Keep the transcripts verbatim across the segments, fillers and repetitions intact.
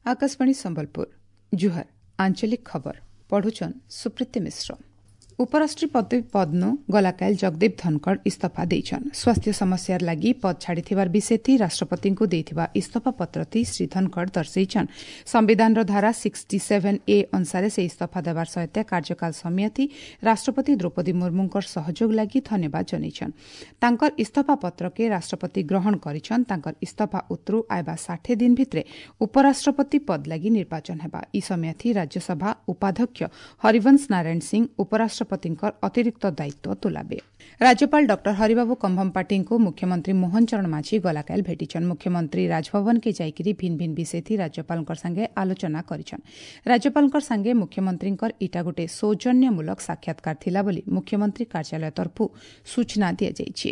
ଆକାଶବାଣୀ ସମ୍ବଲପୁର ଜୁହାର ଆଞ୍ଚଳିକ ଖବର ପଢୁଛନ୍ ସୁପ୍ରୀତି ମିଶ୍ର ଉପରାଷ୍ଟ୍ରପତି ପଦନୁ ଗଲାକାଲ ଜଗଦୀପ ଧନଖଡ଼ ଇସ୍ତଫା ଦେଇଛନ୍ ସ୍ୱାସ୍ଥ୍ୟ ସମସ୍ୟାର ଲାଗି ପଦ ଛାଡ଼ିଥିବାର ବିଷୟଥି ରାଷ୍ଟ୍ରପତିଙ୍କୁ ଦେଇଥିବା ଇସ୍ତଫା ପତ୍ରଥି ଶ୍ରୀ ଧନଖଡ଼ ଦର୍ଶାଇଛନ୍ ସମ୍ବିଧାନର ଧାରା ସିକ୍ସଟି ସେଭେନ୍ ଏ ଅନୁସାରେ ସେ ଇସ୍ତଫା ଦେବାର ସହିତ କାର୍ଯ୍ୟକାଳ ସମୟଥି ରାଷ୍ଟ୍ରପତି ଦ୍ରୌପଦୀ ମୁର୍ମୁଙ୍କର ସହଯୋଗ ଲାଗି ଧନ୍ୟବାଦ ଜଣାଇଛନ୍ ତାଙ୍କର ଇସ୍ତଫା ପତ୍ରକେ ରାଷ୍ଟ୍ରପତି ଗ୍ରହଣ କରିଛନ୍ ତାଙ୍କର ଇସ୍ତଫା ଉତ୍ତରୁ ଆଇବା ଷାଠିଏ ଦିନ ଭିତରେ ଉପରାଷ୍ଟ୍ରପତି ପଦ ଲାଗି ନିର୍ବାଚନ ହେବା ଇ ସମୟଥି ରାଜ୍ୟସଭା ଉପାଧ୍ୟକ୍ଷ ହରିବଂଶ ନାରାୟଣ ସିଂ ଉପରାଷ୍ଟ୍ରପତିଙ୍କର ଅତିରିକ୍ତ ଦାୟିତ୍ୱ ତୁଲାବେ ରାଜ୍ୟପାଳ ଡକ୍ଟର ହରିବାବୁ କମ୍ଭମପାଟିଙ୍କୁ ମୁଖ୍ୟମନ୍ତ୍ରୀ ମୋହନ ଚରଣ ମାଝୀ ଗଲାକାଲ ଭେଟିଛନ୍ ମୁଖ୍ୟମନ୍ତ୍ରୀ ରାଜଭବନକେ ଯାଇକରି ଭିନ୍ ଭିନ୍ ବିଷୟଥି ରାଜ୍ୟପାଳଙ୍କ ସାଙ୍ଗେ ଆଲୋଚନା କରିଛନ୍ ରାଜ୍ୟପାଳଙ୍କ ସାଙ୍ଗେ ମୁଖ୍ୟମନ୍ତ୍ରୀଙ୍କର ଇଟା ଗୋଟେ ସୌଜନ୍ୟମୂଳକ ସାକ୍ଷାତକାର ଥିଲା ବୋଲି ମୁଖ୍ୟମନ୍ତ୍ରୀ କାର୍ଯ୍ୟାଳୟ ତରଫରୁ ସୂଚନା ଦିଆଯାଇଛି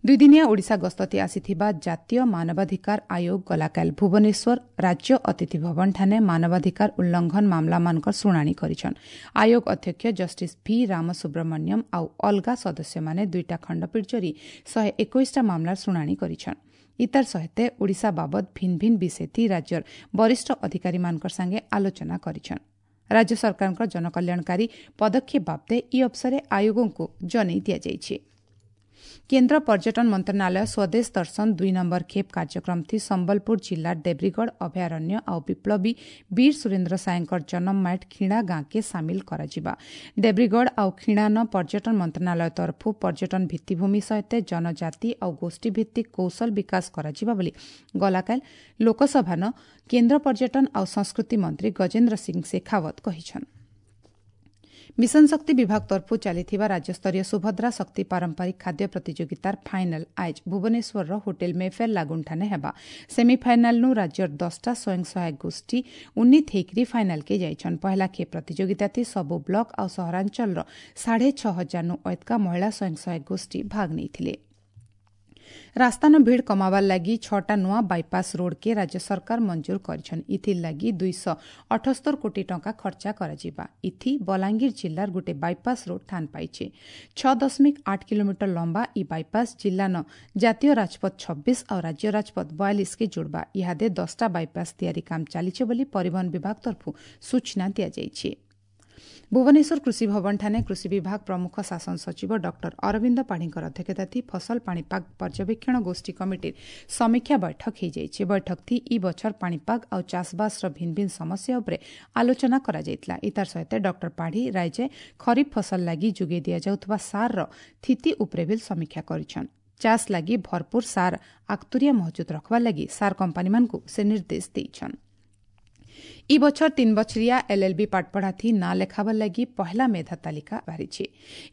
ଦୁଇଦିନିଆ ଓଡ଼ିଶା ଗସ୍ତତି ଆସିଥିବା ଜାତୀୟ ମାନବାଧିକାର ଆୟୋଗ ଗଲାକାଲ ଭୁବନେଶ୍ୱର ରାଜ୍ୟ ଅତିଥି ଭବନଠାରେ ମାନବାଧିକାର ଉଲ୍ଲଂଘନ ମାମଲାମାନଙ୍କର ଶୁଣାଣି କରିଛନ୍ ଆୟୋଗ ଅଧ୍ୟକ୍ଷ ଜଷ୍ଟିସ୍ ଭି ରାମସୁବ୍ରମଣ୍ୟମ ଆଉ ଅଲଗା ସଦସ୍ୟମାନେ ଦୁଇଟା ଖଣ୍ଡପୀଠ ଜରି ଶହେ ଏକୋଇଶଟା ମାମଲାର ଶୁଣାଣି କରିଛନ୍ ଇତାର ସହିତ ଓଡ଼ିଶା ବାବଦ ଭିନ୍ ଭିନ୍ ବିଷୟଥି ରାଜ୍ୟର ବରିଷ୍ଠ ଅଧିକାରୀମାନଙ୍କ ସାଙ୍ଗେ ଆଲୋଚନା କରିଛନ୍ ରାଜ୍ୟ ସରକାରଙ୍କ ଜନକଲ୍ୟାଣକାରୀ ପଦକ୍ଷେପ ବାବଦେ ଇ ଅବସରେ ଆୟୋଗଙ୍କୁ ଜଣାଇ ଦିଆଯାଇଛି କେନ୍ଦ୍ର ପର୍ଯ୍ୟଟନ ମନ୍ତ୍ରଣାଳୟ ସ୍ୱଦେଶ ଦର୍ଶନ ଦୁଇ ନମ୍ବର ଖେପ୍ କାର୍ଯ୍ୟକ୍ରମଥି ସମ୍ବଲପୁର ଜିଲ୍ଲାର ଦେବ୍ରିଗଡ଼ ଅଭୟାରଣ୍ୟ ଆଉ ବିପ୍ଳବୀ ବୀର ସୁରେନ୍ଦ୍ର ସାଏଙ୍କର ଜନମ ମାଇଟ୍ ଖିଣା ଗାଁକେ ସାମିଲ କରାଯିବା ଦେବ୍ରିଗଡ଼ ଆଉ ଖିଣାନ ପର୍ଯ୍ୟଟନ ମନ୍ତ୍ରଣାଳୟ ତରଫରୁ ପର୍ଯ୍ୟଟନ ଭିତ୍ତିଭୂମି ସହିତ ଜନଜାତି ଆଉ ଗୋଷ୍ଠୀଭିତ୍ତିକ କୌଶଳ ବିକାଶ କରାଯିବା ବୋଲି ଗଲାକାଲ ଲୋକସଭାନ କେନ୍ଦ୍ର ପର୍ଯ୍ୟଟନ ଆଉ ସଂସ୍କୃତି ମନ୍ତ୍ରୀ ଗଜେନ୍ଦ୍ର ସିଂ ଶେଖାୱତ କହିଛନ୍ ମିଶନ ଶକ୍ତି ବିଭାଗ ତରଫରୁ ଚାଲିଥିବା ରାଜ୍ୟସ୍ତରୀୟ ସୁଭଦ୍ରା ଶକ୍ତି ପାରମ୍ପରିକ ଖାଦ୍ୟ ପ୍ରତିଯୋଗିତାର ଫାଇନାଲ ଆଜ ଭୁବନେଶ୍ୱରର ହୋଟେଲ ମେଫେୟାର ଲାଗୁନଠାନେ ହେବା ସେମିଫାଇନାଲନୁ ରାଜ୍ୟର ଦଶଟା ସ୍ୱୟଂ ସହାୟକ ଗୋଷ୍ଠୀ ଉନ୍ନୀତ ହେଇକରି ଫାଇନାଲକେ ଯାଇଛନ୍ ପହଲା ଖେପ୍ ପ୍ରତିଯୋଗିତାଥି ସବୁ ବ୍ଲକ ଆଉ ସହରାଞ୍ଚଳର ସାଢ଼େ ଛଅ ହଜାରନୁ ଅଧିକା ମହିଳା ସ୍ୱୟଂ ସହାୟକ ଗୋଷ୍ଠୀ ଭାଗ ନେଇଥିଲେ ରାସ୍ତାନ ଭିଡ଼ କମାବାର ଲାଗି ଛଅଟା ନୂଆ ବାଇପାସ୍ ରୋଡ୍କେ ରାଜ୍ୟ ସରକାର ମଞ୍ଜୁର କରିଛନ୍ ଇଥିର୍ ଲାଗି ଦୁଇଶହ ଅଠସ୍ତର କୋଟି ଟଙ୍କା ଖର୍ଚ୍ଚା କରାଯିବା ଇଥି ବଲାଙ୍ଗୀର ଜିଲ୍ଲାର ଗୋଟେ ବାଇପାସ୍ ରୋଡ୍ ଥାନ ପାଇছে ଛଅ ଦଶମିକ ଆଠ କିଲୋମିଟର ଲମ୍ବା ଇ ବାଇପାସ୍ ଜିଲ୍ଲାନ ଜାତୀୟ ରାଜପଥ ଛବିଶ ଆଉ ରାଜ୍ୟ ରାଜପଥ ବୟାଳିଶକେ ଯୋଡ଼ବା ଇହାଦେ ଦଶଟା ବାଇପାସ୍ ତିଆରି କାମ ଚାଲିছে ବୋଲି ପରିବହନ ବିଭାଗ ତରଫରୁ ସୂଚନା ଦିଆଯାଇଛି ଭୁବନେଶ୍ୱର କୃଷି ଭବନଠାରେ କୃଷି ବିଭାଗ ପ୍ରମୁଖ ଶାସନ ସଚିବ ଡକ୍ଟର ଅରବିନ୍ଦ ପାଢ଼ୀଙ୍କର ଅଧ୍ୟକ୍ଷତାଥି ଫସଲ ପାଣିପାଗ ପର୍ଯ୍ୟବେକ୍ଷଣ ଗୋଷ୍ଠୀ କମିଟିର ସମୀକ୍ଷା ବୈଠକ ହୋଇଯାଇଛି ବୈଠକଥି ଇ ବଛର ପାଣିପାଗ ଆଉ ଚାଷବାସର ଭିନ୍ ଭିନ୍ ସମସ୍ୟା ଉପରେ ଆଲୋଚନା କରାଯାଇଥିଲା ଇତାର ସହିତ ଡକ୍ଟର ପାଢ଼ୀ ରାଜ୍ୟ ଖରିଫ ଫସଲ ଲାଗି ଯୋଗାଇ ଦିଆଯାଉଥିବା ସାରର ସ୍ଥିତି ଉପରେ ବି ସମୀକ୍ଷା କରିଛନ୍ ଚାଷ ଲାଗି ଭରପୁର ସାର ଆକ୍ତୁରିଆ ମହଜୁଦ ରଖବାର ଲାଗି ସାର କମ୍ପାନୀମାନଙ୍କୁ ସେ ନିର୍ଦ୍ଦେଶ ଦେଇଛନ୍ ଇ ବଛର ତିନ୍ ବଛରିଆ ଏଲ୍ଏଲ୍ବି ପାଠପଢ଼ାଥି ନାଁ ଲେଖାବାର ଲାଗି ପହଲା ମେଧା ତାଲିକା ବାହାରିଛି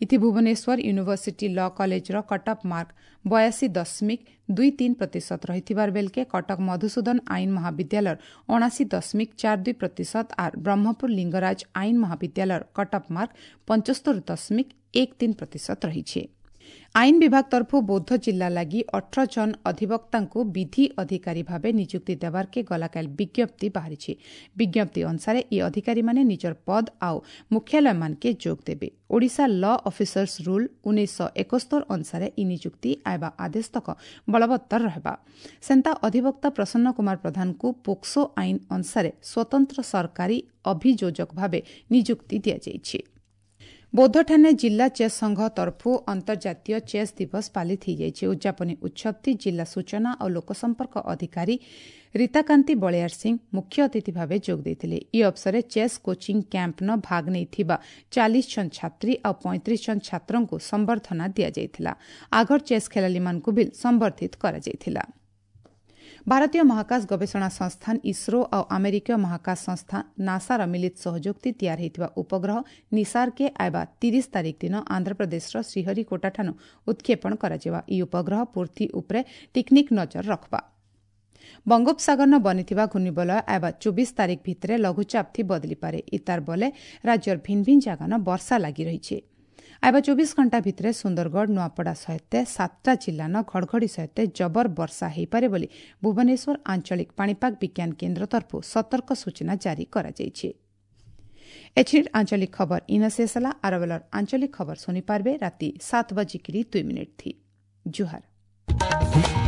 ଇଥି ଭୁବନେଶ୍ୱର ୟୁନିଭର୍ସିଟି ଲ କଲେଜର କଟ୍ଅଫ୍ ମାର୍କ ବୟାଅଶୀ ଦଶମିକ ଦୁଇ ତିନି ପ୍ରତିଶତ ରହିଥିବାର ବେଲକେ କଟକ ମଧୁସୂଦନ ଆଇନ ମହାବିଦ୍ୟାଳୟର ଅଣାଅଶୀ ଦଶମିକ ଚାରି ଦୁଇ ପ୍ରତିଶତ ଆର୍ ବ୍ରହ୍ମପୁର ଲିଙ୍ଗରାଜ ଆଇନ ମହାବିଦ୍ୟାଳୟର କଟ୍ଅଫ୍ ମାର୍କ ପଞ୍ଚସ୍ତରୀ ଦଶମିକ ଏକ ତିନି ପ୍ରତିଶତ ରହିଛି ଆଇନ ବିଭାଗ ତରଫରୁ ବୌଦ୍ଧ ଜିଲ୍ଲା ଲାଗି ଅଠର ଜଣ ଅଧିବକ୍ତାଙ୍କୁ ବିଧି ଅଧିକାରୀ ଭାବେ ନିଯୁକ୍ତି ଦେବାର୍କେ ଗଲାକାଲ ବିଜ୍ଞପ୍ତି ବାହାରିଛି ବିଜ୍ଞପ୍ତି ଅନୁସାରେ ଇ ଅଧିକାରୀମାନେ ନିଜର ପଦ ଆଉ ମୁଖ୍ୟାଳୟମାନକେ ଯୋଗ ଦେବେ ଓଡ଼ିଶା ଲ ଅଫିସର୍ସ ରୁଲ୍ ଉଣେଇଶହ ଏକସ୍ତର ଅନୁସାରେ ଇ ନିଯୁକ୍ତି ଆଇବା ଆଦେଶ ତକ ବଳବତ୍ତର ରହିବା ସେନ୍ତା ଅଧିବକ୍ତା ପ୍ରସନ୍ନ କୁମାର ପ୍ରଧାନଙ୍କୁ ପୋକ୍ସୋ ଆଇନ ଅନୁସାରେ ସ୍ୱତନ୍ତ୍ର ସରକାରୀ ଅଭିଯୋଜକ ଭାବେ ନିଯୁକ୍ତି ଦିଆଯାଇଛି ବୌଦ୍ଧଠାରେ ଜିଲ୍ଲା ଚେସ୍ ସଂଘ ତରଫରୁ ଅନ୍ତର୍ଜାତୀୟ ଚେସ୍ ଦିବସ ପାଳିତ ହୋଇଯାଇଛି ଉଦ୍ଯାପନୀ ଉତ୍ସବଟି ଜିଲ୍ଲା ସୂଚନା ଓ ଲୋକସମ୍ପର୍କ ଅଧିକାରୀ ରୀତାକାନ୍ତି ବଳିୟାର ସିଂ ମୁଖ୍ୟ ଅତିଥି ଭାବେ ଯୋଗ ଦେଇଥିଲେ ଇ ଅବସରରେ ଚେସ୍ କୋଚିଂ କ୍ୟାମ୍ପନ ଭାଗ ନେଇଥିବା ଚାଳିଶ ଜଣ ଛାତ୍ରୀ ଆଉ ପଇଁତିରିଶ ଜଣ ଛାତ୍ରଙ୍କୁ ସମ୍ବର୍ଦ୍ଧନା ଦିଆଯାଇଥିଲା ଆଗର ଚେସ୍ ଖେଳାଳିମାନଙ୍କୁ ବି ସମ୍ବର୍ଦ୍ଧିତ କରାଯାଇଥିଲା ଭାରତୀୟ ମହାକାଶ ଗବେଷଣା ସଂସ୍ଥାନ ଇସ୍ରୋ ଆଉ ଆମେରିକୀୟ ମହାକାଶ ସଂସ୍ଥା ନାସାର ମିଳିତ ସହଯୋଗଥି ତିଆରି ହୋଇଥିବା ଉପଗ୍ରହ ନିସାରକେ ଆଇବା ତିରିଶ ତାରିଖ ଦିନ ଆନ୍ଧ୍ରପ୍ରଦେଶର ଶ୍ରୀହରିକୋଟାଠାରୁ ଉତ୍କ୍ଷେପଣ କରାଯିବା ଏହି ଉପଗ୍ରହ ପୃଥ୍ୱୀ ଉପରେ ଟିକ୍ନିକ୍ ନଜର ରଖବା ବଙ୍ଗୋପସାଗରନ ବନିଥିବା ଘୂର୍ଣ୍ଣିବଳୟ ଆଇବା ଚବିଶ ତାରିଖ ଭିତରେ ଲଘୁଚାପଥି ବଦଳିପାରେ ଇତାର ବଲେ ରାଜ୍ୟର ଭିନ୍ ଭିନ୍ ଜାଗାନ ବର୍ଷା ଲାଗି ରହିଛି ଆଇବା ଚବିଶ ଘଣ୍ଟା ଭିତରେ ସୁନ୍ଦରଗଡ଼ ନୂଆପଡ଼ା ସହିତ ସାତଟା ଜିଲ୍ଲାନ ଘଡ଼ଘଡ଼ି ସହିତ ଜବର ବର୍ଷା ହୋଇପାରେ ବୋଲି ଭୁବନେଶ୍ୱର ଆଞ୍ଚଳିକ ପାଣିପାଗ ବିଜ୍ଞାନ କେନ୍ଦ୍ର ତରଫରୁ ସତର୍କ ସୂଚନା ଜାରି କରାଯାଇଛି ଏଛିର ଆଞ୍ଚଳିକ ଖବର ଇନ ଶେଷ ହେଲା ଆରବେଲର ଆଞ୍ଚଳିକ ଖବର ଶୁଣିପାରିବେ ରାତି ସାତ ବାଜିକିରି ଦୁଇ ମିନିଟ୍ ଥି ଜୁହାର